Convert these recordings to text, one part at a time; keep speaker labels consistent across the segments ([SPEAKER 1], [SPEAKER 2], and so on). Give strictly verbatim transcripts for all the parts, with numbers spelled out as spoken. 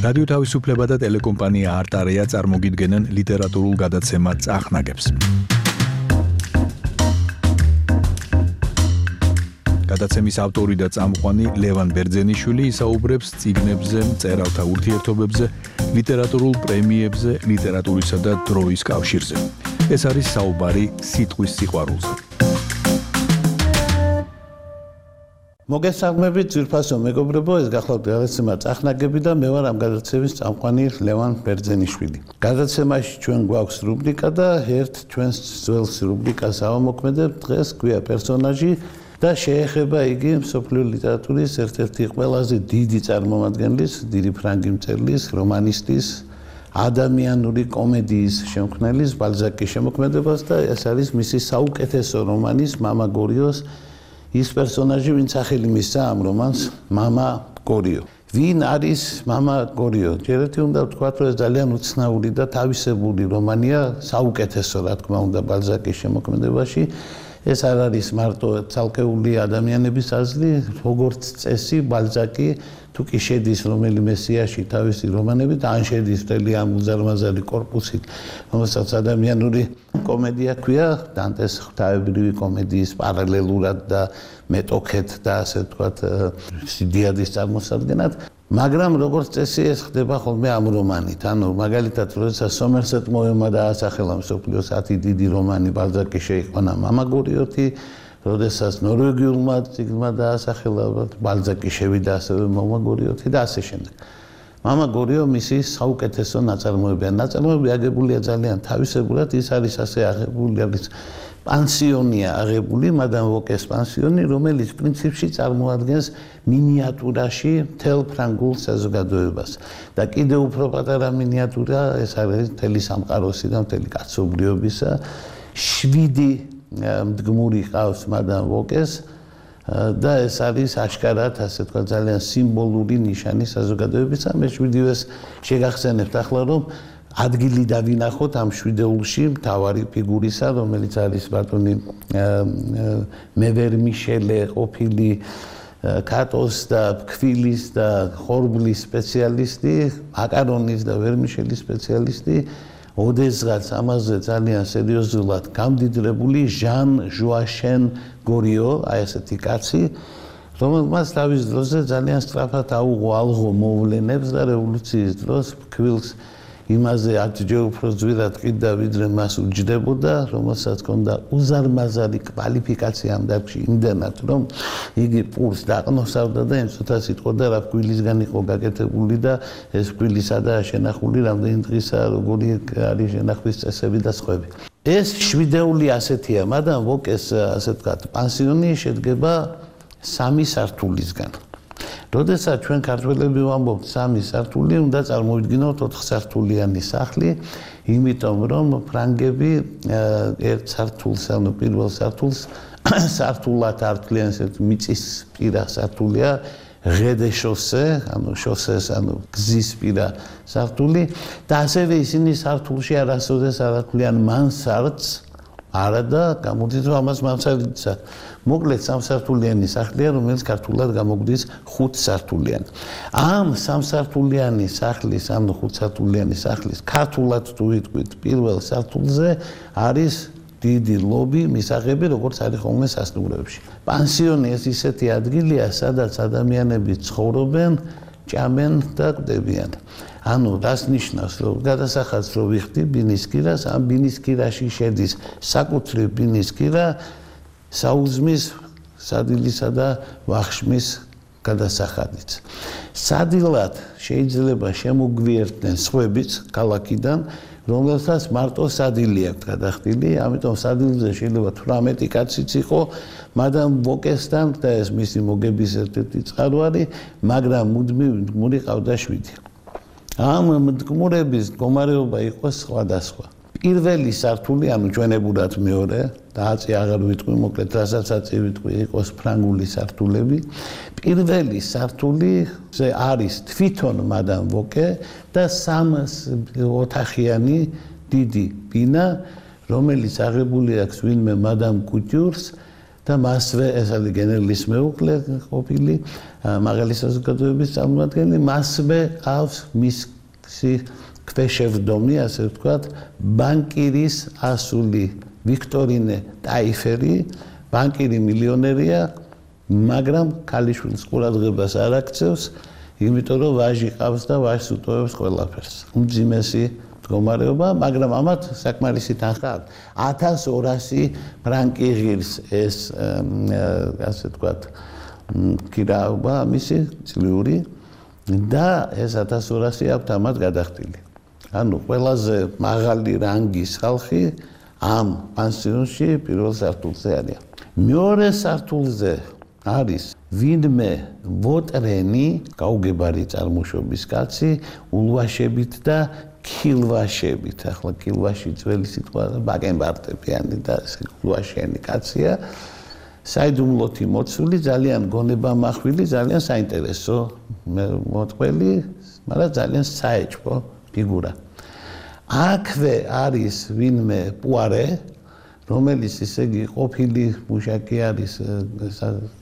[SPEAKER 1] რადიო თავისუფლება და ტელეკომპანია არტარია წარმოგიდგენენ ლიტერატურულ გადაცემა წახნაგებს. გადაცემის ავტორი და წამყვანი ლევან ბერძენიშვილი ისაუბრებს წიგნებზე, მწერალთა ურთიერთობებზე, ლიტერატურულ პრემიებზე, ლიტერატურისა და დროის კავშირზე. ეს არის საუბარი სიტყვის სიყვარულზე.
[SPEAKER 2] მოგესალმებით, ძვირფასო მეგობრებო, ეს გახლავთ გადაცემა წახნაგები და მე ვარ ამ გადაცემის წამყვანი ლევან ბერძენიშვილი. გადაცემაში ჩვენ გვაქვს რუბრიკა და ერთ ჩვენს ძველს რუბრიკას ავამოქმედებ. დღეს გვია პერსონაჟი და შეეხება იგი მსოფლიო ლიტერატურის ერთ-ერთი ყველაზე დიდი წარმომადგენლის, დიდი ფრანგი მწერლის, რომანისტის, ადამიანური კომედიის შემქმნელის ბალზაკის შემოქმედებას და ეს არის მისი საუკეთესო რომანის მამა გორიოს ის პერსონაჟი, ვინც სახელი მისცა ამ რომანს მამა გორიო. ვინ არის მამა გორიო? ჯერეთი უნდა ვთქვათ, რომ ეს ძალიან უცნაური და თავისებური რომანია, საუკეთესო რა თქმა უნდა ბალზაკის შემოქმედებაში. ეს არ არის მარტო ცალკეული ადამიანების აზრი, როგორც წესი ბალზაკი თუ კი შედის რომელიმე სიაში თავისი რომანებით, ან შედის მთელი ამ უზარმაზარი კორპუსით, რომელსაც ადამიანური კომედია ქვია, დანტეს ღვთაებრივი კომედიის პარალელურად და მეტოქეთ და ასე ვთქვათ, სიდიადის წარმოსადგენად. მაგრამ როგორც წესი ეს ხდება ხოლმე ამ რომანით. ანუ მაგალითად, როდესაც სომერსეტ მოემმა დაასახელა მსოფლიოს ათი დიდი რომანი, ბალზაკი შეიყვანა მამა გორიოთი, როდესაც ნორვეგიულმა წიგნმა დაასახელა, ბალზაკი შევიდა ასევე მამა გორიოთი და ასე შემდეგ. მამა გორიო მისი საუკეთესო ნაწარმოებია. ნაწარმოები აგებულია ძალიან თავისებურად, ის არის ასე აღებული, არის პანსიონია აღებული, მადამ ვოკეს პანსიონი, რომელიც პრინციპში წარმოადგენს მინიატურაში მთელ ფრანგულ საზოგადოებას. და კიდევ უფრო პატარა მინიატურა, ეს არის მთელი სამყაროსი და მთელი კაცობრიობისა. შვიდი მდგმური ყავს მადამ ვოკეს და ეს არის აშკარად, ასე თქვა, ძალიან სიმბოლური ნიშანი საზოგადოებისა. მე შვიდივეს შეგახსენებთ ახლა, რომ ადგილი დავინახოთ ამ შვიდეულში მთავარი ფიგურისა, რომელიც არის ბატონი მევერ-მიშელე, ყოფილი კატოს და ფქვილის და ხორბლის სპეციალისტი, მაკარონის და ვერმიშელის სპეციალისტი, ოდესღაც ამაზე ძალიან სერიოზულად გამდიდრებული ჟან ჟოაშენ გორიო, აი ესეთი კაცი, რომელმაც თავის დროზე ძალიან სწრაფად აუღო ალღო მოვლენებს და რევოლუციის დროს ფქვილს იმაზე ათჯერ უფრო ძვირად ყიდა, ვიდრე მას უჯდებოდა, რომელსაც ჰქონდა უზარმაზარი კვალიფიკაცია ამ დარგში, იმდენად, რომ იგი პურს დაყნოსავდა და იმ წუთას იტყოდა, რა ფქვილისგან იყო გაკეთებული და ეს ფქვილი სადაა შენახული, რამდენი დღისა, როგორი არის შენახვის წესები და სხვები. ეს შვიდეული ასეთია, მადამ ვოკეს, ასე ვთქვათ, პანსიონი შედგება სამი სართულისგან. როდესაც ჩვენ ქართველები ვამბობთ სამი სართული, უნდა წარმოვიდგინოთ ოთხსართულიანი სახლი, იმიტომ რომ ფრანგები ერთ სართულს, ანუ პირველ სართულს სართულად ართვლიან, ესეთ მიწისპირა სართულია, ღედე-შოსე, ანუ შოსეს, ანუ გზისპირა სართული და ასევე ისინი სართულში არასოდეს არ ართვლიან მანსარდს, არა და გამოდის, რომ ამას მანსარდისა. მოკლედ სამსართულიანი სახლია, რომელიც ქართულად გამოგვდის ხუთსართულიანი. ამ სამსართულიანი სახლის, ანუ ხუთსართულიანი სახლის ქართულად თუ ვიტყვით პირველ სართულზე არის დიდი ლობი, მისაღები, როგორც არის ხოლმე სასტუმროებში. პანსიონი ეს ისეთი ადგილია, სადაც ადამიანები ცხოვრობენ, ჭამენ და კვდებიან. ანუ რას ნიშნავს, რომ გადასახადს რო ვიხდი ბინისკირას, ამ ბინისკირაში შედის საკუთრივ ბინისკირა, საუზმის, სადილისა და ვახშმის გადასახადიც. სადილად შეიძლება შემოგვიერთდნენ სხვებიც ქალაქიდან, რომელსაც მარტო სადილი აქვს გადახდილი, ამიტომ სადილზე შეიძლება თვრამეტი კაციც იყო, მადამ ვოკესთან და ეს მისი მოგების ერთ-ერთი წყაროარი, მაგრამ მუდმივი მდგმური ყავდა შვიდი. ამ მდგმურების მდგომარეობა იყო სხვადასხვა. პირველი სართული, ანუ ჩვენებურად მეორე, და აწი აღარ ვიტყვი, მოკლედ რასაც აწი ვიტყვი, იყოს ფრანგული სართულები. პირველი სართულიზე არის თვითონ მადამ ვოკე და სამ ოთახიანი დიდი ბინა, რომელიც აღებული აქვს ვინმე მადამ კუტიურს და მასვე ეს არის გენერლის მეუღლე ყოფილი მაღალი საზოგადოების წარმომადგენელი მასვე ყავს მისი ქვეშევრდომი ასე ვთქვათ ბანკირის ასული ვიქტორინე ტაიფერი ბანკირი მილიონერია მაგრამ ქალიშვილის ყურადღებას არ აქცევს იმიტომ რომ ვაჟი ყავს და ვაჟს უტოვებს ყველაფერს უმძიმესი მდგომარეობა მაგრამ ამათ საკმარისი თანხა ათას ორასი ფრანკი ღირს ეს ასე ვთქვათ კირაობა მისი წლიური და ეს ათას ორასი აქვს ამათ გადახდილი ანუ ყველაზე მაღალი რანგის ხალხი ამ პანსიონში პირველ სართულზე არის მეორე სართულზე არის ვინმე ვოტრენი გაუგებარი წარმოშობის კაცი ულვაშებით და ქილვაშებით ახლა ქილვაში ძველი სიტყვა ბაკენბარტებიანი და ულვაშიანი კაცია საიდუმლოთი მოცული ძალიან გონებამახვილი ძალიან საინტერესო მოტყველი მაგრამ ძალიან საეჭვო ფიგურა აქვე არის ვინმე პუარე რომელიც ისე იგი ყოფილი მუშაკი არის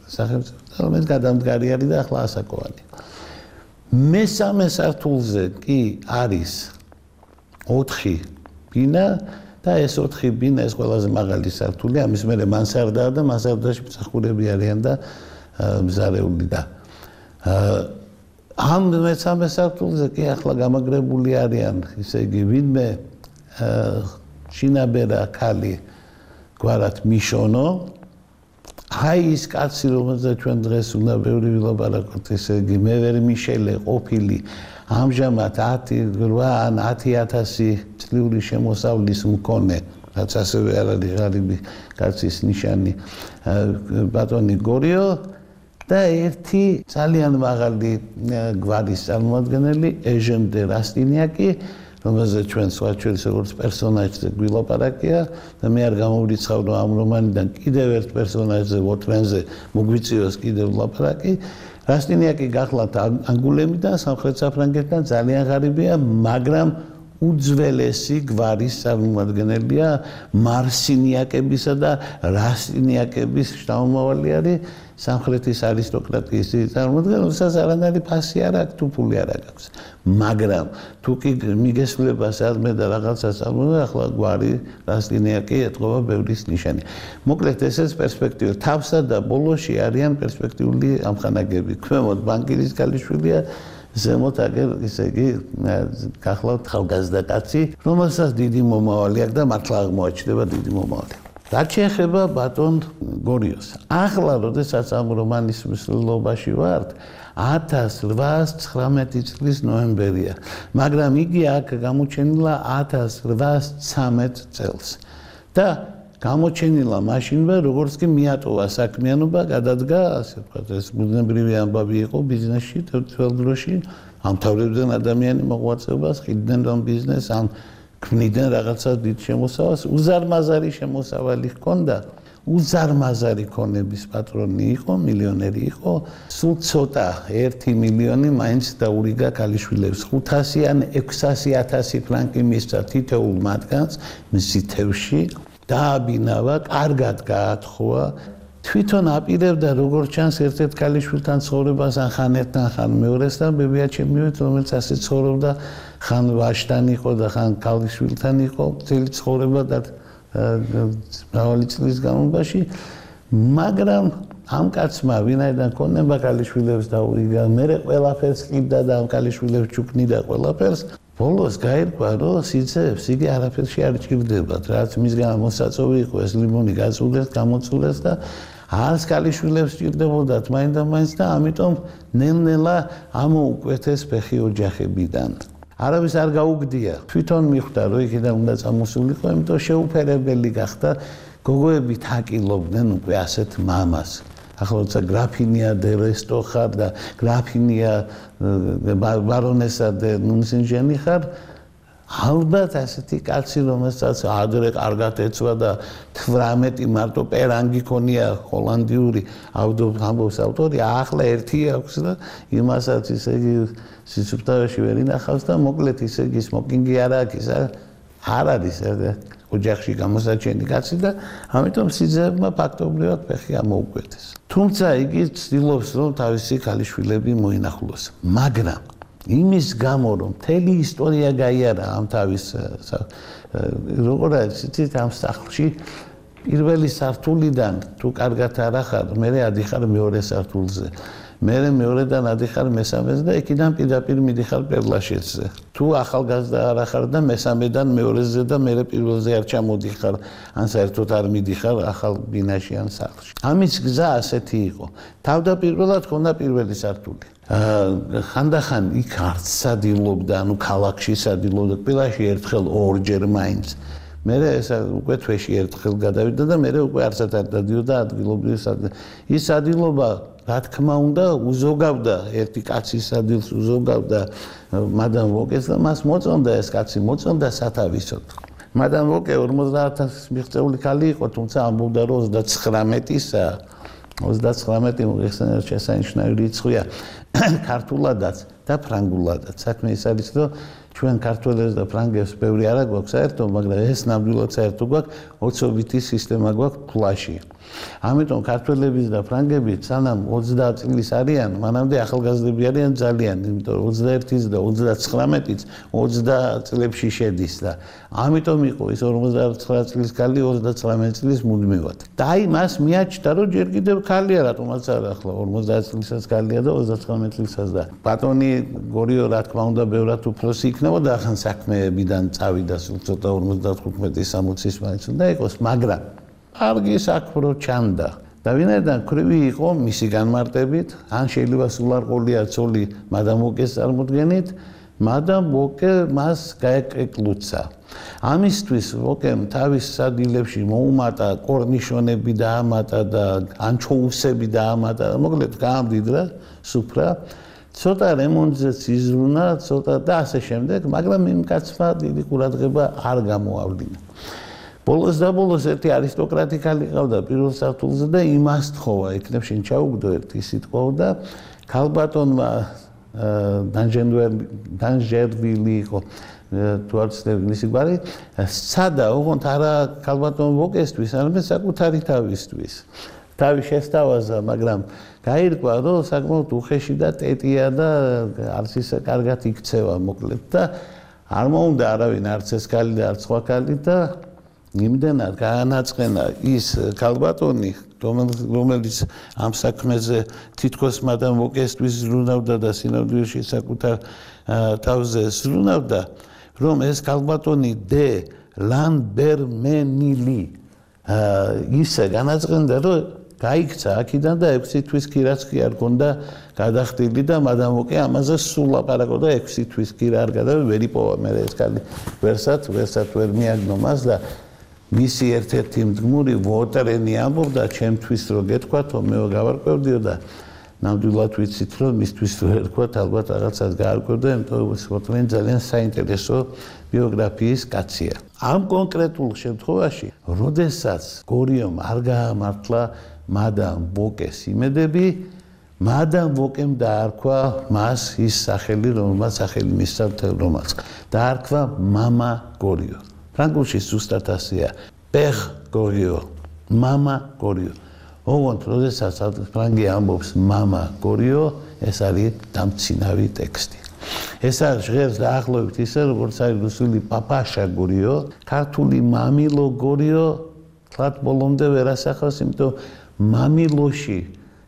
[SPEAKER 2] სახელმწიფო რომელიც გადამდგარი არის და ახლა ასაკოვანი მესამე სართულზე კი არის ოთხი ბინა და ეს ოთხი ბინა ეს ყველაზე მაღალი სართული ამის მერე მანსარდაა და მანსარდაში მსახურები არიან და მზარეული და ამ მესამე სართულზე კი ახლა გამაგრებული არიან ისე იგი ვინმე შინაბერა ქალი გვარად მიშონო აი ის კაცი რომელზეც ჩვენ დღეს უნდა ბევრი ვილაპარაკოთ ესე იგი მე ვერ მიშელე ყოფილი ამჟამად ათი რვა ან ათი ათასი წლიური შემოსავლის მქონე რაც ასევე არ არის ღარიბი კაცის ნიშანი ბატონი გორიო და ერთი ძალიან მაღალი გვარის წარმომადგენელი ეჟენ დე რასტინიაკი რომელზეც ჩვენ სხვაჩვენს როგორც პერსონაჟზე გვილაპარაკია და მე არ გამოვრიცხავ რომ ამ რომანიდან კიდევ ერთ პერსონაჟზე ვოტრენზე მოგვიწევს კიდევ ლაპარაკი რასტინიაკი გახლავთ ანგულემიდან სამხრეთ საფრანგეთიდან ძალიან ღარიბია მაგრამ უძველესი გვარის წარმომადგენელია მარსინიაკებისა და რასტინიაკების შთამომავალი არის სამხრეთის არისტოკრატიის წარმომადგენელი რომელსაც არანაირი ფასი არ აქვს თუ ფული არ აქვს მაგრამ თუ კი მიგესვლება სადმე და რაღაცას ამბობ ახლა გვარი რასტინიაკი ეთყობა ბევრის ნიშანი მოკლედ ესეც პერსპექტივა თავსა და ბოლოში არიან პერსპექტიული ამხანაგები ქვემოთ ბანკირის ქალიშვილია ზემოთ აგერ ისე იგი გახლავთ ხალგაზრდა კაცი რომელსაც დიდი მომავალი აქვს და მართლა აღმოაჩნდება დიდი მომავალი რაც შეეხება ბატონ გორიოს ახლა როდესაც ამ რომანის მსვლელობაში ვართ ათას რვაას ცხრამეტი წლის ნოემბერია მაგრამ იგი აქ გამოჩენილა ათას რვაას ცამეტ წელს და გამოჩენილა მაშინვე როგორც კი მიატოვა საქმიანობა გადადგა ასე ვთქვათ ეს ბუნებრივი ამბავი იყო ბიზნესში თელ დროში ამთავრებდნენ ადამიანი მოღვაწეობას ხიდნენ რომ ბიზნეს ან ქმნიდნენ რაღაცა დიდ შემოსავალს უზარმაზარი შემოსავალი ჰქონდა უზარმაზარი ქონების პატრონი იყო მილიონერი იყო სულ ცოტა ერთი მილიონი მაინც დაურიგა ქალიშვილებს ხუთასი ან ექვსასი ათასი ფრანკი მისცა თითოეულ მათგანს მისი თევში დააბინავა კარგად გაათხოვა თვითონ აპირებდა როგორც ჩანს ერთ-ერთ ქალიშვილთან ცხოვრებას ან ხან ერთთან ხან მეორესთან ბებიაჩემივით რომელიც ასე ცხოვრობდა ხან ვაჟთან იყო და ხან ქალიშვილთან იყო მთელი ცხოვრება და მრავალი წლის განმავლობაში მაგრამ ამ კაცმა ვინაიდან ქონება ქალიშვილებს დაურიგა მერე ყველაფერს ყიდა და ამ ქალიშვილებს ჩუქნიდა ყველაფერს ბოლოს გაირკვა რომ სიძეებს იგი არაფერში არ ჭირდებათ რაც მისგან მოსაწოვი იყო ეს ლიმონი გაწულეს გამოწულეს და არც ქალიშვილებს ჭირდებოდათ მაინც და მაინც და ამიტომ ნელ-ნელა ამოუკვეთეს ფეხი ოჯახებიდან არავის არ გაუგდია თვითონ მიხვდა რომ იქიდან უნდა წამოსულიყო იმიტომ შეუფერებელი გახდა გოგოები თაკილობდნენ უკვე ასეთ მამას ახლა როცა გრაფინია დე რესტო ხარ და გრაფინია ბარონესა დე ნუნსინჟენი ხარ ალბათ ასეთი კაცი რომელსაც ადრე კარგად ეცვა და თვრამეტი მარტო პერანგი ქონია ჰოლანდიური ამბობს ავტორი ახლა ერთი აქვს და იმასაც ისე იგი სიცოცხლეში ვერ ინახავს და მოკლედ ისე იგი სმოკინგი არ აქვს არ არის ოჯახში გამოსაჩენი კაცი და ამიტომ სიძეებმა ფაქტობრივად ფეხი ამოუკვეთეს. თუმცა იგი ცდილობს რომ თავისი ქალიშვილები მოინახულოს, მაგრამ იმის გამო რომ მთელი ისტორია გაიარა ამ თავის როგორ არის იცით ამ სახლში პირველი სართულიდან თუ კარგად არ ახარ, მე ადიხარ მეორე სართულზე. მე მეორედან ადიხარ მესამეზე და იქიდან პირდაპირ მიდიხარ პერლაშეცზე. თუ ახალგაზრდა არ ახარ და მესამედან მეორეზე და მე პირველზე არ ჩამოდიხარ, ან საერთოდ არ მიდიხარ ახალ ბინაში ან სახლში. ამის გზა ასეთი იყო. თავდაპირველად ჰქონდა პირველი სართული. ხანდახან იქ არც სადილობდა, ანუ ქალაქში სადილობდა, ყველაში ერთხელ ორჯერ მაინც. მე ეს უკვე თვეში ერთხელ გადავიდა და მე უკვე არცად არ დადიოდა ადგილობრივ სადილს. ის სადილობა რა თქმა უნდა უზოგავდა ერთი კაცის სადილს უზოგავდა მადამ ვოკეს და მას მოწონდა ეს კაცი მოწონდა სათავისოდ. მადამ ვოკე ორმოცდაათ ათასის მიღწეული ქალი იყო, თუმცა ამბობდა რომ ოცდაცხრამეტისა ოცდაცხრამეტი მოიხსენებათ შესანიშნავი რიცხვია ქართულადაც და ფრანგულადაც. საქმე ის არის რომ ჩვენ ქართველებს და ფრანგებს ბევრი არა გვაქვს საერთო, მაგრამ ეს ნამდვილად საერთო გვაქვს, ოცობითი სისტემა გვაქვს ფლაში. ამიტომ ქართველების და ფრანგების სანამ ოცდაათ წლის არიან, მანამდე ახალგაზრდები არიან ძალიან, იმიტომ რომ ოცდაერთის და ოცდაცხრამეტის ოცდა წლებში შედის და ამიტომ იყო ის ორმოცდაცხრა წლის ქალი ოცდაცხრამეტ წლის მუდმივად. და აი მას მიაჩნდა რომ ჯერ კიდევ ქალია, რატომაც არა ახლა ორმოცდაათ წლისაც ქალია და ოცდაცხრამეტ წლისაც და ბატონი გორიო რა თქმა უნდა ბევრად უფროსი იქნებოდა ახან საქმეებიდან წავიდა სულ ცოტა ორმოცდათხუთმეტის სამოცის მაინც უნდა იყოს, მაგრამ არგი საქმრო ჩანდა და ვინაიდან ქრივი იყო მისი განმარტებით, ან შეიძლება სულ არ ყოლია ცოლი მადამ ვოკეს წარმოდგენით, მადამ ვოკე მას გაეკეკლუცა. ამისთვის ვოკემ თავის სადილებში მოუმატა კორნიშონები დაამატა და ანჩოუსები დაამატა, მოკლედ გაამდიდრა სუფრა, ცოტა რემონტზეც იზრუნა, ცოტა და ასე შემდეგ, მაგრამ იმ კაცმა დიდი ყურადღება არ გამოავლინა. ბოლოს და ბოლოს ერთი არისტოკრატი ქალი ყავდა პირველ სართულზე და იმას თხოვა, იქნებ შენ ჩაუგდო ერთი სიტყვა ქალბატონმა დანჟერვილი იყო თუ არ ვცდები მისი გვარი, სცადა ოღონდ არა ქალბატონ ვოკესთვის, არამედ საკუთარი თავისთვის. თავი შესთავაზა, მაგრამ გაირკვა, რომ საკმაოდ უხეში და ტეტია და არც ისე კარგად იქცევა მოკლედ და არ მოუნდა არავინ არც ეს ქალი და არც სხვა ქალი და იმდენად გაანაწყენა ის ქალბატონი, რომელიც ამ საქმეზე თითქოს მადამ ვოკესთვის ზრუნავდა და სინამდვილეში საკუთარ თავზე ზრუნავდა, რომ ეს ქალბატონი დე ლანბერმენილი ისე განაწყენდა, რომ გაიქცა აქედან და ექვსი თვის კი რაც კი არ ქონდა გადახდილი და მადამ ვოკე ამაზე სულ ლაპარაკობდა ექვსი თვის კი რა არ გადავიდა ვერ იპოვა მე ეს ქალი ვერსად ვერსად ვერ მიაგნო მას და მისი ერთ-ერთი მდგმური ვოტერენი ამბობდა ჩემთვის რო გეთქვათო მე გავარკვევდიო და ნამდვილად ვიცით რომ მისთვის რო ერქვათ ალბათ რაღაცას გაარკვევდა იმიტომ რომ ვოტერენი ძალიან საინტერესო ბიოგრაფიის კაცია ამ კონკრეტულ შემთხვევაში როდესაც გორიომ არ გაამართლა მადამ ვოკეს იმედები მადამ ვოკემ დაარქვა მას ის სახელი რომელმაც სახელი მისცა მთელ რომანს დაარქვა მამა გორიო ფრანგულში ზუსტად ასეა პერ გორიო მამა გორიო ოღონდ როდესაც ფრანგი ამბობს მამა გორიო ეს არის დამცინავი ტექსტი ეს არის ჟღერს დაახლოებით ისე როგორც არის რუსული პაპაშა გორიო ქართული მამილო გორიო თლათ ბოლომდე ვერ ასახავს იმიტომ მამილოში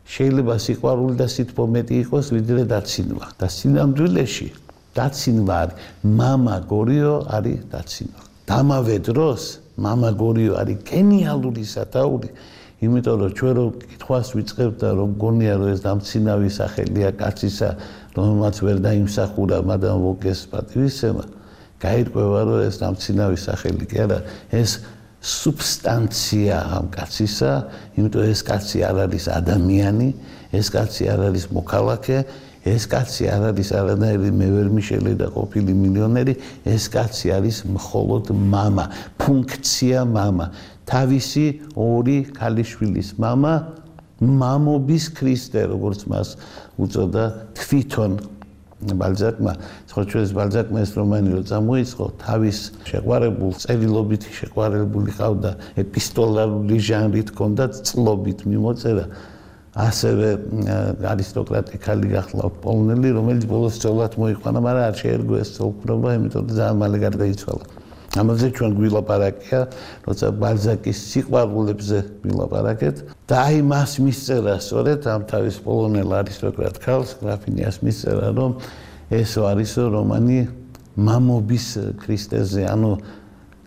[SPEAKER 2] შეიძლება სიყვარული და სითბო მეტი იყოს ვიდრე დაცინვა და სინამდვილეში დაცინვა არის მამა გორიო არის დაცინვა დამავე დროს მამა გორიო არის გენიალური სათაური იმიტომ რომ ჩვენ რო კითხვას ვიწყებთ და რომ გონია რომ ეს დამცინავი სახელია კაცისა რომელმაც ვერ დაიმსახურა მადამ ვოკეს პატივისცემა გაირკვევა რომ ეს დამცინავი სახელი კი არა ეს სუბსტანცია ამ კაცისა იმიტომ ეს კაცი არ არის ადამიანი ეს კაცი არ არის მოქალაქე ეს კაცი არ არის არანაირი მევერმიშელი და ყოფილი მილიონერი ეს კაცი არის მხოლოდ მამა ფუნქცია მამა თავისი ორი ქალიშვილის მამა მამობის ქრისტე როგორც მას უწოდა თვითონ ბალზაკმა, სწორედ ბალზაკმა ეს რომანი რო წამოიწყო, თავის შეყვარებულ წერილობითი შეყვარებული ყავდა, ეპისტოლარული ჟანრით ჰქონდა წლობით მიმოწერა. ასევე არისტოკრატი ხალი გახლავთ პოლონელი, რომელიც ბოლოს სწორად მოიყვანა, მაგრამ არ შეერგო ეს ცოლქრობა, იმიტომ რომ ძალიან მალე გარდაიცვალა. ამაზე ჩვენ გვილაპარაკია, როცა ბალზაკის სიყვარულებზე გვილაპარაკეთ და აი მას მისწერა სწორედ ამ თავის პოლონელ არისტოკრატ ქალს, გრაფინიას მისწერა, რომ ესო არისო რომანი მამობის ქრისტეზე, ანუ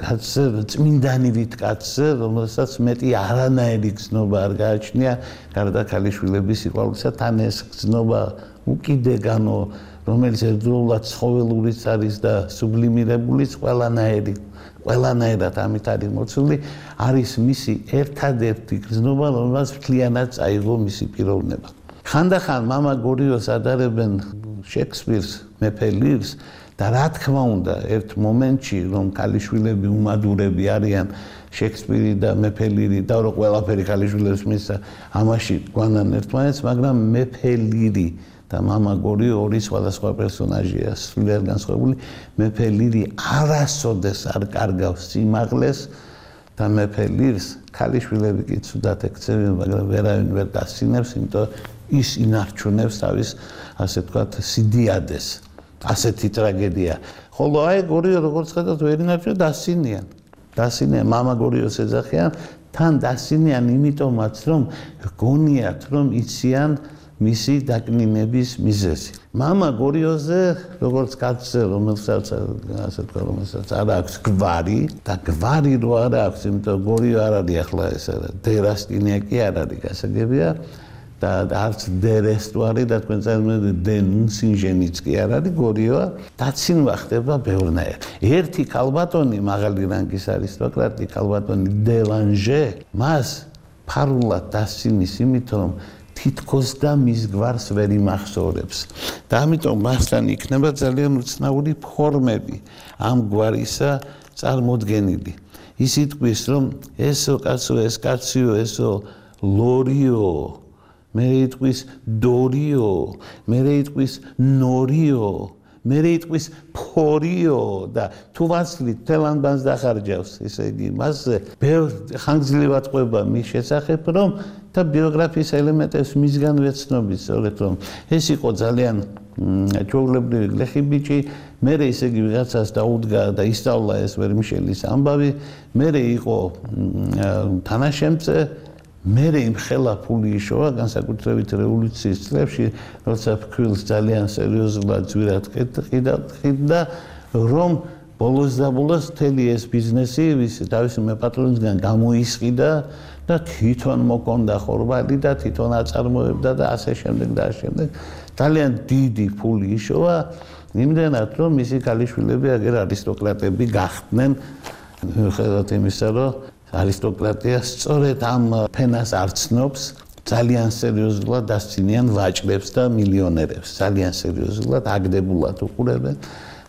[SPEAKER 2] კაცზე, წმინდანივით კაცზე, რომელსაც მეტი არანაირი გზნობა არ გააჩნია, გარდა ქალიშვილების სიყვარულისა, თან ეს გზნობა უკიდეგანო, რომელიც ერთდროულად ცხოველურიც არის და სუბლიმირებულიც, ყველანაირი, ყველანაირად ამით არის მოცული, არის მისი ერთადერთი გზნობა, რომელსაც მთლიანად წაიღო მისი პიროვნება. ხანდახან მამა გორიოს ადარებენ შექსპირს, მეფე ლირს და რა თქმა უნდა, ერთ მომენტში, რომ ქალიშვილები უმადურები არიან, შექსპირი და მეფე ლირი და რო ყველაფერი ქალიშვილებს მისცა, ამაში გვანან ერთმანეთს, მაგრამ მეფე ლირი და მამა გორიო ორი სხვადასხვა პერსონაჟია, სულიერ განსხვავებული. მეფე ლირი არასოდეს არ კარგავს სიმაღლეს და მეფე ლირს ქალიშვილები კი ცუდად ექცევიან, მაგრამ ვერავინ ვერ დასცინებს, იმიტომ ის ინარჩუნებს თავის, ასე ვთქვათ, სიდიადეს. ასეთი ტრაგედია. ხოლო აი გორიო როგორც ხედავთ, ვერ ინარჩუნებს, დასცინიან. დასცინიან, მამა გორიოს ეძახიან, თან დასცინიან იმიტომაც, რომ გონიათ, რომ იციან მისი დაკნინების მიზეზი. მამა გორიოზე, როგორც კაცზე, რომელსაც ასე ვთქვათ, რომელსაც არ აქვს გვარი და გვარი რო არ აქვს, იმიტომ გორიო არ არის ახლა ეს დერასტინია კი არ არის გასაგებია და არც დერესტუარი და თქვენ წარმოიდგინეთ დენუნსინჟენიც კი არ არის გორიოა, დაცინვა ხდება ბევრნაირ. ერთი ქალბატონი, მაღალი რანგის არისტოკრატი, ქალბატონი დელანჟე, მას ფარულად დასცინის იმით, რომ თითქოს და მის გვარს ვერ იმახსოვრებს. და ამიტომ მასთან იქნება ძალიან უცნაური ფორმები ამ გვარისა წარმოდგენილი. ის იტყვის, რომ ესო კაცო, ეს კაციო, ესო ლორიო, მე იტყვის დორიო, მე იტყვის ნორიო, მე იტყვის ფორიო და თუ ვაცლით თელანბანს დახარჯავს, ესე იგი მასზე ბევრ ხანგრძლივად ყვება მის შესახებ, რომ და ბიოგრაფიის ელემენტებს მისგან ვეცნობთ, სწორედ რომ ეს იყო ძალიან ჩვეულებრივი გლეხი ბიჭი, მერე ისე იგი ვიღაცას დაუდგა და ისწავლა ეს ვერმიშელის ამბავი, მერე იყო თანაშემწე, მერე იმხელა ფული იშოვა, განსაკუთრებით რევოლუციის წლებში, როცა ფქვილს ძალიან სერიოზულად ძვირად ყიდა, რომ ბოლოს და ბოლოს მთელი ეს ბიზნესი თავისი მეპატრონისგან გამოისყიდა და თვითონ მოკონდა ხორბალი და თვითონ აწარმოებდა და ასე შემდეგ და ასე შემდეგ. ძალიან დიდი ფული იშოვა, იმდენად რომ მისი ქალიშვილები აგერ არისტოკრატები გახდნენ, მიუხედავად იმისა, რომ არისტოკრატია სწორედ ამ ფენას არ ცნობს, ძალიან სერიოზულად დასცინიან ვაჭრებს და მილიონერებს, ძალიან სერიოზულად აგდებულად უყურებენ.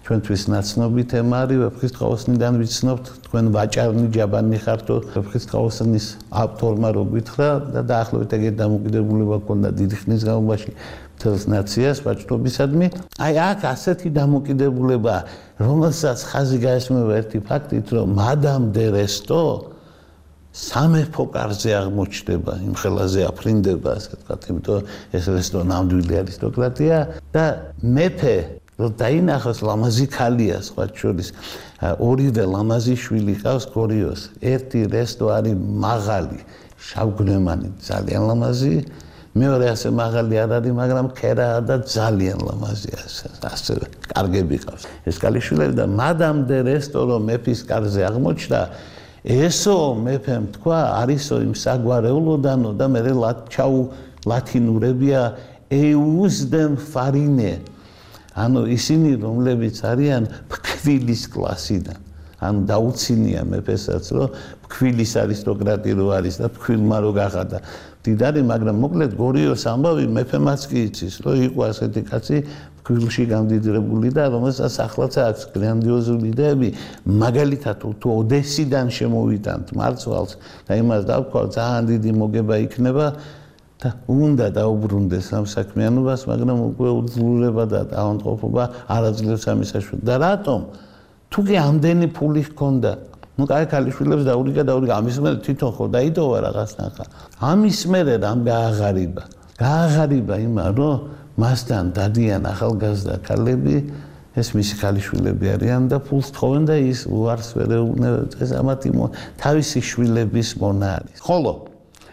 [SPEAKER 2] ჩვენთვის ნაცნობი თემა არის ვეფხისტყაოსნიდან ვიცნობთ, თქვენ ვაჭარნი ჯაბანი ხართო, ვეფხისტყაოსნის ავტორმა რო გითხრა და დაახლოებით ეგეთ დამოკიდებულება ჰქონდა დიდი ხნის განმავლობაში მთელს ნაციას ვაჭრობისადმი. აი აქ ასეთი დამოკიდებულება, რომელსაც ხაზი გაესმევა ერთი ფაქტით, რომ მადამ დე რესტო სამეფო კარზე აღმოჩნდება, იმ ხელაზე აფრინდება, ასე ვთქვათ, იმიტომ ეს რესტო ნამდვილი არისტოკრატია და მეფე რომ დაინახოს ლამაზი ქალია, სხვა შორის ორივე ლამაზი შვილი ყავს გორიოს. ერთი რესტო არის მაღალი, შავგნემანი, ძალიან ლამაზი, მეორე ასე მაღალი არ არის, მაგრამ ქერაა და ძალიან ლამაზია, ასე კარგები ყავს. ეს ქალიშვილები და მადამ დე რესტო რომ მეფის კარზე აღმოჩნდა, ესო მეფემ თქვა, არისო იმ საგვარეულოდანო და მე ჩაუ ლათინურებია ეუზდემ ფარინე. ანუ ისინი, რომლებიც არიან ფქვილის კლასიდან. ანუ დაუცინია მეფესაც, რომ ფქვილის არისტოკრატი რო არის და ფქვილმა რო გახადა მდიდარი, მაგრამ მოკლედ გორიოს ამბავი მეფემაც კი იცის, რომ იყო ასეთი კაცი ფქვილში გამდიდრებული და რომელსაც ახლაც აქვს გრანდიოზული იდეები, მაგალითად თუ ოდესიდან შემოვიტანთ მარცვალს და იმას დავქვა, ძალიან დიდი მოგება იქნება და უნდა დაუბრუნდეს ამ საქმიანობას, მაგრამ უკვე უძლურება და დაავადყოფა არ აძლევს ამის საშუალებას. და რატომ? თუ კი ამდენი ფული ჰქონდა, ну კაი ქალიშვილებს დაურიგა დაურიგა ამის მერე თვითონ ხო დაიდოვა რაღაცნახა. ამის მერე რამ გააღარიბა? გააღარიბა იმა, რომ მასთან დადიან ახალგაზრდა ქალები, ეს მისი ქალიშვილები არიან და ფულს თხოვენ და ის უარს ვერ ეუბნება ეს ამათი თავისი შვილების მონა არის. ხოლო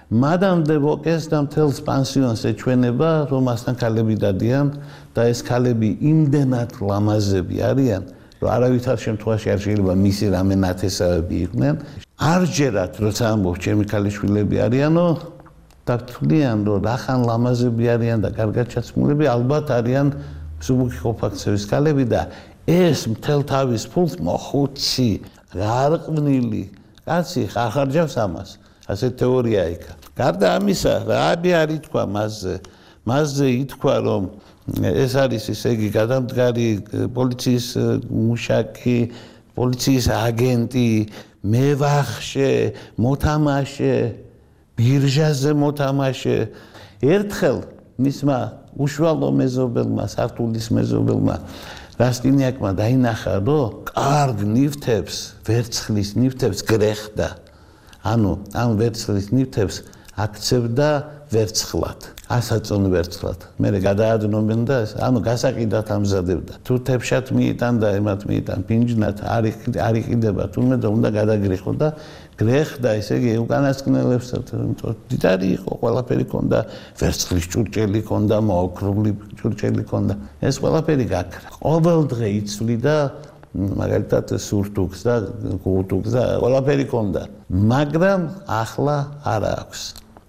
[SPEAKER 2] მადამ დე ბოკეს და მთელს პანსიონს ეჩვენება, რომ მასთან ქალები დადიან და ეს ქალები იმდენად ლამაზები არიან, რომ არავითარ შემთხვევაში არ შეიძლება მისი რამე ნათესავები იყვნენ. არ ჯერათ, როცა ამბობს ჩემი ქალიშვილები არიანო და თვლიან, რომ რახან ლამაზები არიან და კარგად ჩაცმულები, ალბათ არიან მსუბუქი ყოფაქცევის ქალები და ეს მთელ თავის ფულს მოხუცი, გარყვნილი კაცი ხარ ხარჯავს ამას. ასე თეორია იქა. გარდა ამისა, რაბი არ ითქვა მასზე. მასზე ითქვა, რომ ეს არის ესე იგი გადამდგარი პოლიციის მუშაკი, პოლიციის აგენტი, მევახშე, მოთამაშე, ბირჟაზე მოთამაშე. ერთხელ მისმა უშუალო მეზობელმა, სართულის მეზობელმა რასტინიაკმა დაინახა, რომ კარგ ნივთებს, ვერცხლის ნივთებს გრეხდა. ანუ ამ ვერცხლის ნივთებს აქცევდა ვერცხლად, ასაწონ ვერცხლად. მერე გადაადნობენ და ანუ გასაყიდად ამზადებდა. თუ თებშად მიიტან და ემათ მიიტან პინჯნად არ არ იყიდება თუმე და უნდა გადაგრეხო და გრეხდა, ესე იგი უკანასკნელებსაც, დიდარი იყო, ყველაფერი ქონდა, ვერცხლის ჭურჭელი ქონდა, მოოქრული ჭურჭელი ქონდა. ეს ყველაფერი გაქრა. ყოველ დღე იცვლიდა მაგალითად სურთუქს და გუთუქს და ყველაფერი ქონდა, მაგრამ ახლა არ აქვს.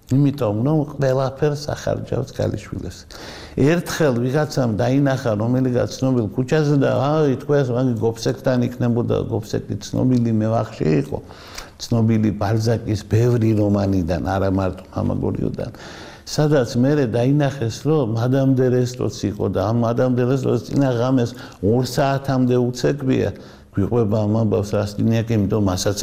[SPEAKER 2] იმიტომ რომ ყველაფერს ახარჯავს ქალიშვილებს. ერთხელ ვიღაცამ დაინახა რომელიღაც ცნობილ ქუჩაზე და აი თქვენს მაგი გოფსეკთან იქნებოდა, გოფსეკი ცნობილი მევახში იყო, ცნობილი ბალზაკის ბევრი რომანიდან, არა მარტო მამაგორიოდან. სადაც მერე დაინახეს, რომ მადამ დე რესტროც იყო და ამ მადამ დე რესტროს წინა ღამეს ორ საათამდე უცეკვია. გვიყვება ამ ამბავს რასტინიაკი, იმიტომ მასაც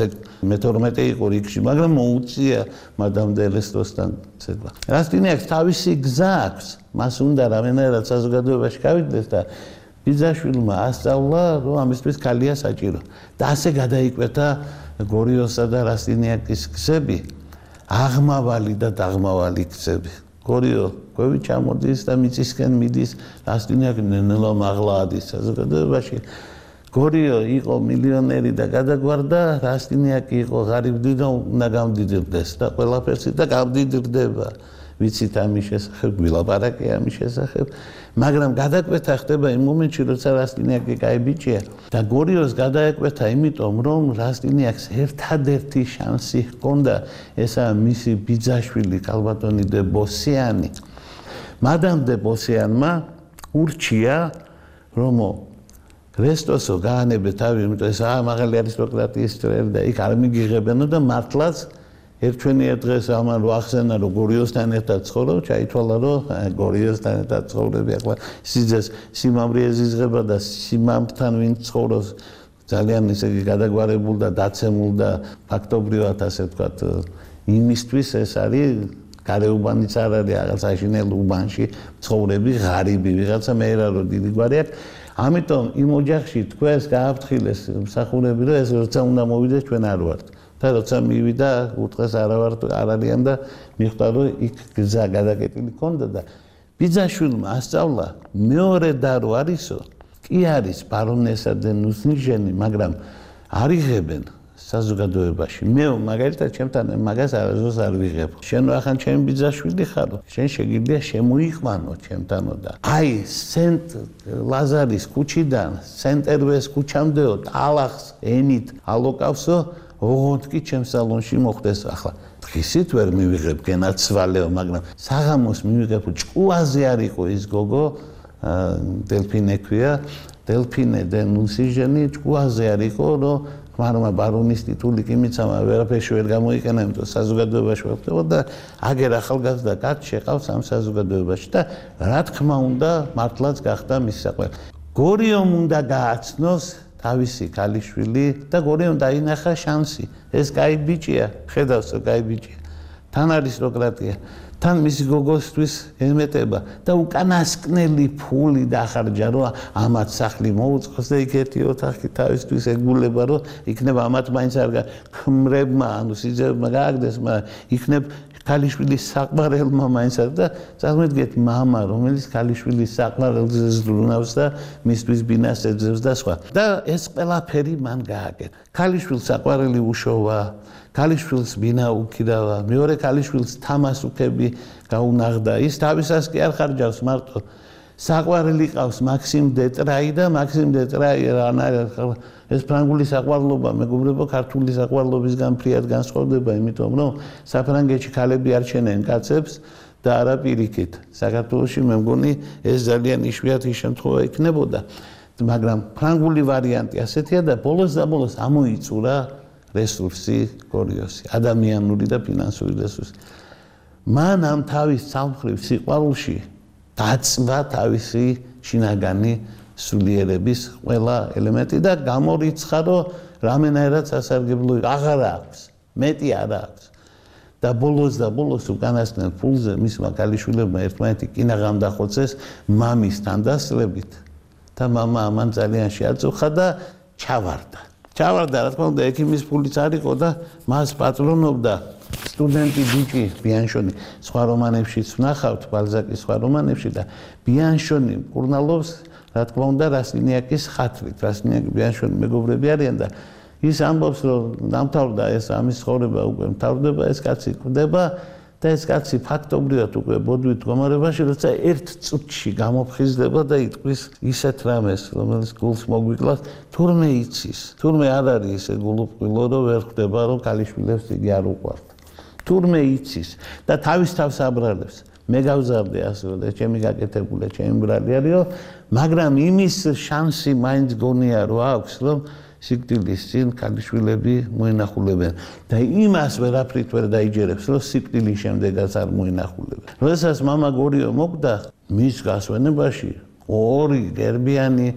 [SPEAKER 2] მეთორმეტე იყო რიგში, მაგრამ მოუწია მადამ დე რესტროსთან ცეკვა. რასტინიაკს თავისი გზა აქვს, მას უნდა რამენერად საზოგადოებაში გავიდეს და ბიძაშვილმა ასწავლა, რომ ამისთვის ქალია საჭირო. და ასე გადაიკვეთა გორიოსა და რასტინიაკის გზები. აღმავალი და დაღმავალი გზები. გორიო კვევი ჩამოდის და მიწისკენ მიდის, რასტინიაკი ნელა მაღლა ადის საზოგადოებაში. გორიო იყო მილიონერი და გადაგვარდა, რასტინიაკი იყო ღარიბი და უნდა გამდიდრდეს და ყველაფერს და გამდიდრდება. ვიცით ამის შესახებ, გვილაპარაკე ამის შესახებ, მაგრამ გადაკვეთა ხდება იმ მომენტში, როცა რასტინიაკი კაი ბიჭია და გორიოს გადაეკვეთა, იმიტომ რომ რასტინიაკს ერთადერთი შანსი ჰქონდა, ესაა მისი ბიძაშვილი ქალბატონი დე ბოსიანი. მადამ დე ბოსიანმა ურჩია, რომ რესტოსო გაანებე თავი, იმიტომ ეს აა მაღალი არისტოკრატიის წრელი და იქ არ მიგიღებენო და მართლაც ერთვენიერ დღეს ამან რო ახსენა, რომ გორიოსთან ერთად ცხოვრობ, ჩაითვალა, რომ გორიოსთან ერთად ცხოვრები ახლა სიძეს სიმამრი ეზიზღება და სიმამრთან ვინც ცხოვრობს ძალიან ისე გადაგვარებულ და დაცემულ და ფაქტობრივად ასე ვთქვათ, იმისთვის ეს არის გარეუბანიც არ არის, რაღაც აშინელ უბანში ცხოვრები ღარიბი, ვიღაცა მეერა რო დიდი გვარი აქვს. ამიტომ იმ ოჯახში თქვენს გააფრთხილეს მსახურები, რომ ეს როცა უნდა მოვიდეს ჩვენ არ ვართ. და როცა მივიდა, უთხრეს არა ვარ არ არიან და მიხვდა, რომ იქ გზა გადაკეტილი ქონდა და ბიძაშვილმა ასწავლა, მეორე და რო არისო, კი არის ბარონესა დე ნუსნიჟენი, მაგრამ არ იღებენ საზოგადოებაში. მე მაგალითად ჩემთან მაგას არასდროს არ ვიღებ. შენ ახან ჩემი ბიძაშვილი ხარო, შენ შეგიძლია შემოიყვანო ჩემთანო და აი სენტ ლაზარის ქუჩიდან სენტერვეს ქუჩამდეო ტალახს ენით ალოკავსო, ოღონდ კი ჩემს სალონში მოხდეს ახლა. დღისით ვერ მივიღებ გენაცვალეო, მაგრამ საღამოს მივიღებ ჭკუაზე არ იყო ის გოგო დელფინე ქვია, დელფინე დე ნუსიჟენი ჭკუაზე არ იყო, რომ ხმარმა ბარონის ტიტული კი მიცამა, ვერაფერში ვერ გამოიყენა, იმიტომ საზოგადოებაში ვეღწევა და აგერ ახალგაზრდა კაცი შეყავს ამ საზოგადოებაში და რა თქმა უნდა, მართლაც გახდა მის საყვარელი. გორიომ უნდა გააცნოს თავისი ქალიშვილი და გორიომ დაინახა შანსი. ეს კაი ბიჭია, ხედავს რომ კაი ბიჭია. თან არისტოკრატია, თან მისი გოგოსთვის ემეტება და უკანასკნელი ფული დახარჯა, რომ ამათ სახლი მოუწყოს და იქ ერთი ოთახი თავისთვის ეგულება, რომ იქნება ამათ მაინც არ ქმრებმა, ანუ სიძებმა გააგდეს, მაგრამ იქნებ ქალიშვილის საყვარელმა მაინც არ და წარმოიდგინეთ მამა, რომელიც ქალიშვილის საყვარელზე ზრუნავს და მისთვის ბინას ეძებს და სხვა. და ეს ყველაფერი მან გააკეთა. ქალიშვილს საყვარელი უშოვა, ქალიშვილს ბინა უკიდავა, მეორე ქალიშვილს თამასუქები გაუნაღდა. ის თავისას კი არ ხარჯავს მარტო. საყვარელი ყავს მაქსიმ დეტრაი და მაქსიმ დეტრაი ეს ფრანგული საყვარლობა მეგობრებო ქართული საყვარლობისგან ფრიად განსხვავდება, იმიტომ რომ საფრანგეთში ქალები არ ჩენენ კაცებს და არა პირიქით. საქართველოში მე მგონი ეს ძალიან იშვიათი შემთხვევა იქნებოდა, მაგრამ ფრანგული ვარიანტი ასეთია და ბოლოს და ბოლოს ამოიწურა რესურსი გორიოსი, ადამიანური და ფინანსური რესურსი. მან ამ თავის სამხრივ სიყვარულში დაწვა თავისი შინაგანი სულიერების ყველა ელემენტი და გამორიცხა, რომ რამენაირად სასარგებლო აღარ აქვს, მეტი არ აქვს. და ბოლოს და ბოლოს უკანასკნელ ფულზე მისმა ქალიშვილებმა ერთმანეთი კინაღამ დახოცეს მამის თანდასწრებით და მამა ამან ძალიან შეაწუხა და ჩავარდა. ჩავარდა, რა თქმა უნდა, ექიმის ფულიც არ იყო და მას პატრონობდა სტუდენტი ბიჭი ბიანშონი. სხვა რომანებშიც ვნახავთ, ბალზაკის სხვა რომანებში და ბიანშონი მკურნალობს, რა თქმა უნდა, რასტინიაკის ხათრით. რასტინიაკი ბიანშონი მეგობრები არიან და ის ამბობს, რომ დამთავრდა ეს ამის ცხოვრება, უკვე მთავრდება, ეს კაცი კვდება და ეს კაცი ფაქტობრივად უკვე ბოდვით მდგომარეობაში, როცა ერთ წუთში გამოფხიზდება და იტყვის ისეთ რამეს, რომელიც გულს მოგვიკლავს, თურმე იცის, თურმე არ არის ისე გულუყვილო, რომ ვერ ხვდება, რომ ქალიშვილებს იგი არ უყვართ. თურმე იცის და თავის თავს აბრალებს. მე გავზარდე ასე და ჩემი გაკეთებული, ჩემი ბრალი არისო, მაგრამ იმის შანსი მაინც გონია, რომ აქვს, რომ სიკვდილის წინ ქალიშვილები მოინახულებენ და იმას ვერაფრით ვერ დაიჯერებს, რომ სიკვდილის შემდეგაც არ მოინახულებენ. როდესაც მამა გორიო მოკვდა, მის გასვენებაში ორი გერბიანი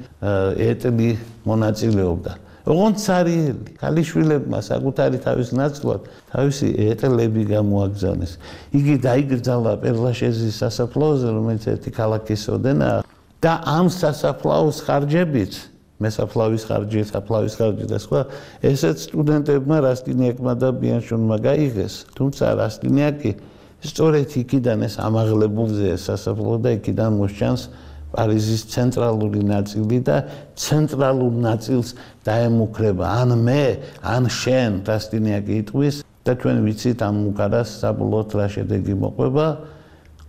[SPEAKER 2] ეტლი მონაწილეობდა. ოღონდ ცარიელი ქალიშვილებმა საკუთარი თავის ნაცვლად თავისი ეტლები გამოაგზავნეს. იგი დაიგრძალა პერლაშეზის სასაფლაოზე, რომელიც ერთი ქალაქის ოდენაა და ამ სასაფლაოს ხარჯებით მესაფლავის ხარჯი, საფლავის ხარჯი და სხვა, ესეც სტუდენტებმა რასტინიაკმა და ბიანშონმა გაიღეს. თუმცა რასტინიაკი სწორედ იქიდან ეს ამაღლებულზე სასაფლაო და იქიდან მოსჩანს პარიზის ცენტრალური ნაწილი და ცენტრალურ ნაწილს დაემუქრება. ან მე, ან შენ, რასტინიაკი იტყვის და ჩვენ ვიცით ამ უკარას საბოლოოდ რა შედეგი მოყვება.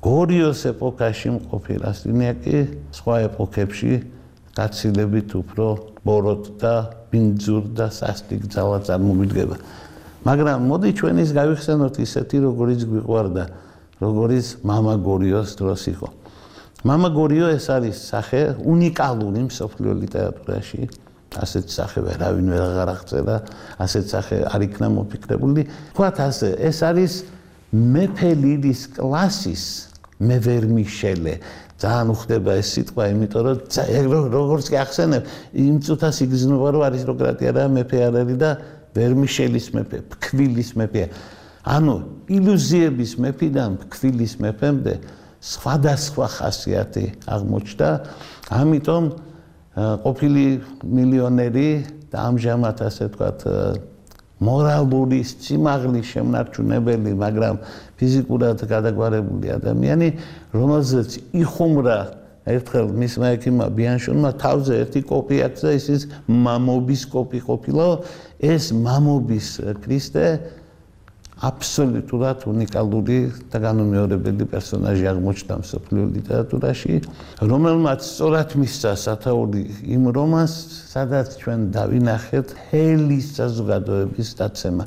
[SPEAKER 2] გორიოს ეპოქაში მყოფი რასტინიაკი სხვა ეპოქებში გაცილებით უფრო ბოროტ და ბინძურ და სასტიკ ძალად წარმოგიდგება. მაგრამ მოდი ჩვენ ის გავიხსენოთ ისეთი, როგორიც გვიყვარდა, როგორიც მამა გორიოს დროს იყო. მამა გორიო ეს არის სახე უნიკალური მსოფლიო ლიტერატურაში. ასეთ სახე ვერავინ ვერ აღარ აღწერა, ასეთ სახე არ იქნა მოფიქრებული. ვთქვათ ასე, ეს არის მეფე ლირის კლასის მე ვერ მიშელე. ძალიან უხდება ეს სიტყვა, იმიტომ რომ როგორც კი ახსენებ, იმ წუთას იგრძნობა, რომ არისტოკრატია და მეფე არ არის და ვერმიშელის მეფე, ფქვილის მეფეა. ანუ ილუზიების მეფიდან ფქვილის მეფემდე სხვადასხვა ხასიათი აღმოჩნდა, ამიტომ ყოფილი მილიონერი და ამჟამად ასე ვთქვათ მორალური სიმაღლის შემნარჩუნებელი, მაგრამ ფიზიკურად გადაგვარებული ადამიანი, რომელზეც იხუმრა ერთხელ მისმა ექიმმა ბიანშონმა თავზე ერთი კოპი აქვს და ის მამობის კოპი ყოფილა, ეს მამობის ქრისტე აბსოლუტურად უნიკალური და განუმეორებელი პერსონაჟი აღმოჩნდა მსოფლიო ლიტერატურაში, რომელმაც სწორად მისცა სათაური იმ რომანს, სადაც ჩვენ დავინახეთ ჰელის საზოგადოების დაცემა.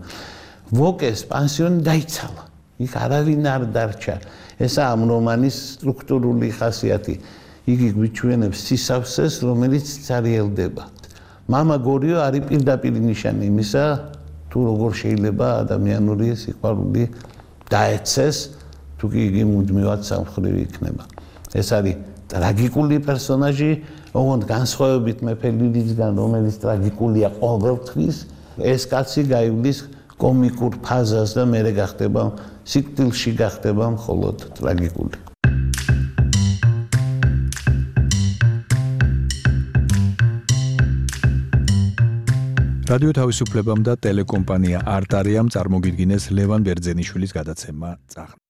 [SPEAKER 2] ვოკეს პანსიონი დაიცალა. იქ არავინ არ დარჩა. ესაა ამ რომანის სტრუქტურული ხასიათი. იგი გვიჩვენებს სისავსეს, რომელიც ცარიელდება. მამა გორიო არის პირდაპირ ნიშანი იმისა, თუ როგორ შეიძლება ადამიანური სიყვარული დაეცეს, თუ კი იგი მუდმივად სამხრივი იქნება. ეს არის ტრაგიკული პერსონაჟი, ოღონდ განსხვავებით მეფე ლირისგან, რომელიც ტრაგიკულია ყოველთვის, ეს კაცი გაივლის კომიკურ ფაზას და მერე გახდება სიკვდილში გახდება მხოლოდ ტრაგიკული.
[SPEAKER 1] რადიო თავისუფლებამ და ტელეკომპანია არტარიამ წარმოგიდგინეს ლევან ბერძენიშვილის გადაცემა წახნა.